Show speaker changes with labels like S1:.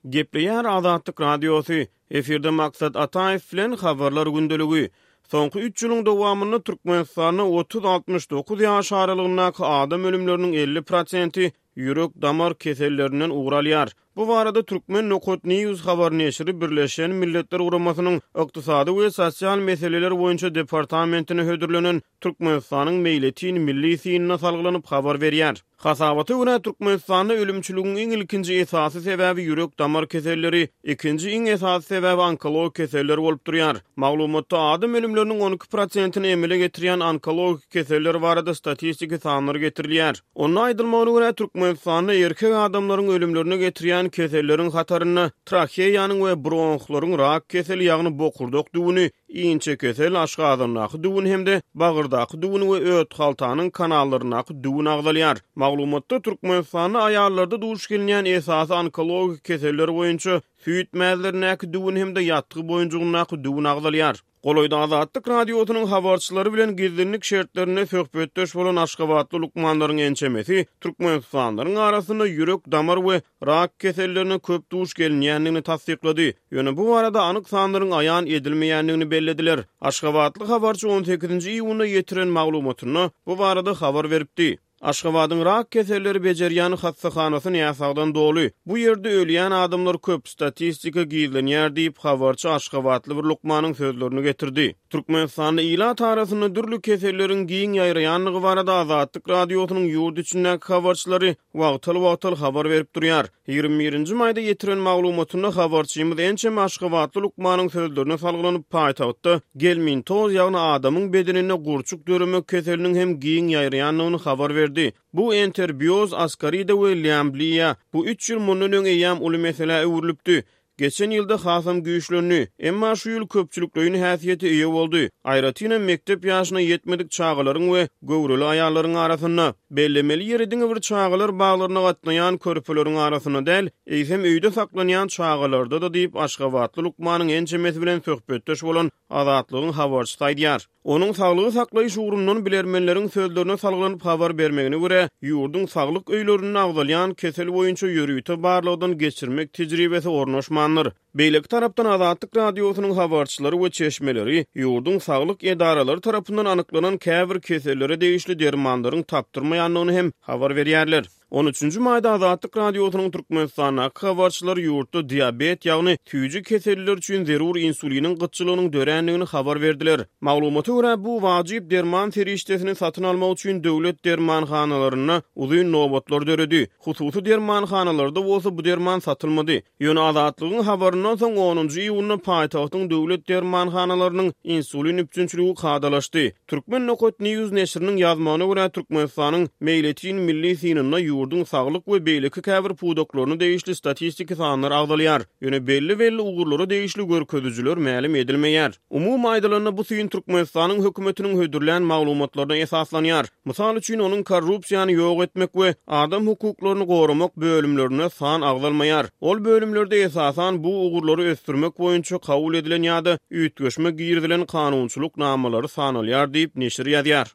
S1: Gepleýär Azatlyk Radiosy, Efirde Maksat Ataýew bilen Habarlar gündeligi. Soňky üç ýylyň dowamynda Türkmenistanda otuz-altmyş dokuz ýaş aralygyndaky adam ölümleriniň 50 prosenti ýürek-damar kesellerinden ugur alýar. Bu barada Turkmen nokat news habar neşiri Birleşen Milletler Guramasynyň Ykdysady we sosial meseleler boýunça departamentine hödürlenen Türkmenistanyň meýletin milli synyna salgylanyp habar berýär. Hasabata görä, Türkmenistanda ölümçiligiň iň ilkinji esasy sebäbi ýürek-damar keselleri, ikinji iň esasy sebäbi onkologik keseller bolup durýar. Maglumatda adam ölümleriniň 12 prosentini emele getirýän onkologik keseller barada statistiki sanlar getirilýär. Onda aýdylmagyna görä, Türkmenistanda erkek adamlaryň ölümlerine getirýän keselleriň hatarynda traheýanyň we bronhlaryň rak keseli, ýagny bokurdak düwüni, inçekesel, aşgazandaky düwün hem-de bagyrdaky düwün we öthaltanyň kanallaryndaky düwün agzalýar. Maglumatda Türkmenistanda aýallarda duş gelinýän esasy onkologik keseller boýunça süýt mäzlerindäki düwün hem-de ýatgy boýunjygyndaky düwün agzalýar. Golaýda Azatlyk Radiosynyň habarçylary bilen gizlinlik şertlerinde söhbetdeş bolan aşgabatly lukmanlaryň ençemesi türkmenistanlylaryň arasynda ýürek-damar we rak kesellerine köp duş gelinýändigini tassyklady. Ýöne bu barada anyk sanlaryň aýan edilmeýändigini bellediler. Aşgabatly habarçy on sekizinji iýunda ýetiren maglumatynda bu barada habar beripdi. Aşgabadyň rak keselleri bejerýän hassahanasy näsagdan doly. Bu ýerde ölýän adamlar köp, statistika gizlenýär diýip, habarçy aşgabatly bir lukmanyň sözlerini getirdi. Türkmenistanda ilat arasynda dürli keselleriň giň ýaýraýandygy barada Azatlyk Radiosynyň ýurt içindäki habarçylary wagtal-wagtal habar berip durýar. 21 nji maýda ýetiren maglumatynda habarçymyz ençeme aşgabatly lukmanyň sözlerine salgylanyp, paýtagtda gelmintoz, ýagny adamyň bedeninde gurçuk döremek keseliniň hem giň ýaýraýandygyny habar berdi. Bu enterbioz, askarida we lýambliýa, bu üç ýyl mundan öň eýýäm uly meselä öwrülipdi. Geçen ýylda hasam güýçlendi. Emma şu ýyl köpçülikleýin häsiýete eýe boldy. Aýratynam mekdep ýaşyna ýetmedik çagalaryň we göwreli aýallaryň arasynda. Bellemeli ýeri diňe bir çagalar baglaryna gatnaýan körpeleriň arasynda däl, eýsem öýde saklanýan çagalarda-da diýip, aşgabatly lukmanyň ençemesi bilen söhbetdeş bolan Azatlygyň habarçysy aýdýar. Onuň saglygy saklaýyş ugrundan bilermenleriň sözlerine salgylanyp habar bermegine görä, ýurduň saglyk öýlerinde agzalýan kesel boýunça ýörite barlagdan geçirmek tejribesi ornaşmandyr. Beýleki tarapdan, Azatlyk Radiosynyň habarçylary we çeşmeleri ýurduň saglyk edaralary tarapyndan anyklanan käbir kesellere degişli dermanlaryň tapdyrmaýandygyny hem habar berýärler. On üçünji maýda Azatlyk Radiosynyň Türkmenistandaky habarçylary ýurtda diabet, ýagny süýji keselliler üçin zerur insuliniň gytçylygynyň dörändigini habar berdiler. Maglumata görä, bu wajyp derman serişdesini satyn almak üçin döwlet dermanhanalarynda uzyn nobatlar döredi. Hususy dermanhanalarda bolsa bu derman satylmady. Ýöne Azatlygyň habaryndan soň onunjy iýunda paýtagtyň döwlet dermanhanalarynyň insulin üpjünçiligi kadalaşdy. Turkmen nokat news neşiriniň ýazmagyna görä, Türkmenistanyň meýletin milli synynda ýurduň saglyk we beýleki käbir pudaklaryna degişli statistiki sanlar agzalýar, ýöne belli-belli ugurlara degişli görkezijiler mälim edilmeýär. Umumy aýdylanda, bu syn Türkmenistanyň hökümetiniň hödürlän maglumatlaryna esaslanýar. Mysal üçin, onuň korrupsiýany ýok etmek we adam hukuklaryny goramak bölümlerinde san agzalmaýar. Ol bölümlerde esasan bu ugurlary ösdürmek boýunça kabul edilen ýa-da üýtgeşme girizilen kanunçylyk namalary sanalýar diýip, neşir ýazýar.